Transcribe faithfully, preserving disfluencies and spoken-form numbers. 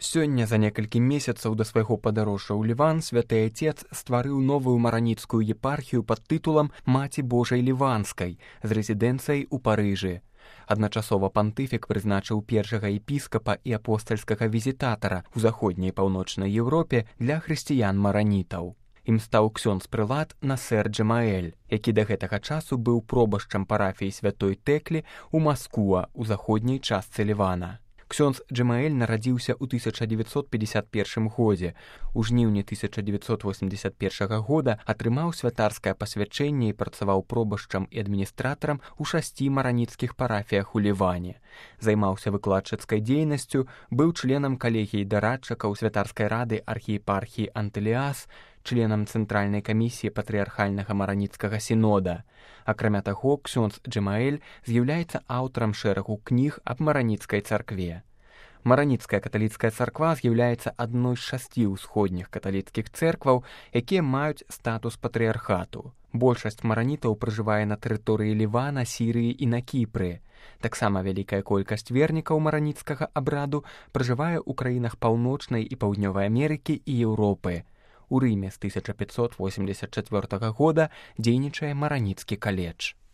Сёння, за некалькі месяцаў да свайго падарожжа ў Ліван, святы Айцец стварыў новую мараніцкую епархію пад тытулам «Маці Божай Ліванскай» з рэзідэнцыяй у Парыжы. Адначасова пантыфік прызначыў першага епіскапа і апостальскага візітатара ў заходняй і паўночнай Еўропе для хрысціян-маранітаў. Ім стаў ксёндз-прылад Насэр Джэмаэль, які да гэтага часу быў пробашчам парафіі святой Тэклі ў Маскуа ў заходняй частцы Лівана. Ксёндз Джэмаэль нарадзіўся ў тысяча дзевяцьсот пятьдесят першым годзе. У жніўні тысяча дзевяцьсот восемьдесят першага года атрымаў святарскае пасвячэнне і працаваў пробашчам і адміністратарам у шасці мараніцкіх парафіях у Ліване. Займаўся выкладчыцкай дзейнасцю, быў членам калегіі дарадчыкаў святарскай рады архіепархіі Антыліас, членам Цэнтральнай камісіі патрыархальнага мараніцкага сінода. Акрамя таго, ксёндз Джэмаэль з'яўляецца аўтарам шэрагу кніг аб мараніцкай царкве. Мараніцкая каталіцкая царква з'яўляецца адной з шасці ўсходніх каталіцкіх цэркваў, якія маюць статус патрыархату. Большасць маранітаў пражывае на тэрыторыі Лівана, Сірыі і на Кіпры. Таксама вялікая колькасць вернікаў мараніцкага абраду пражывае ў краінах Паўночнай і Паўднёвай Амерыкі і Еўропы. У Рыме з тысяча пятьсот восемьдесят четвёртага года дзейнічае мараніцкі каледж.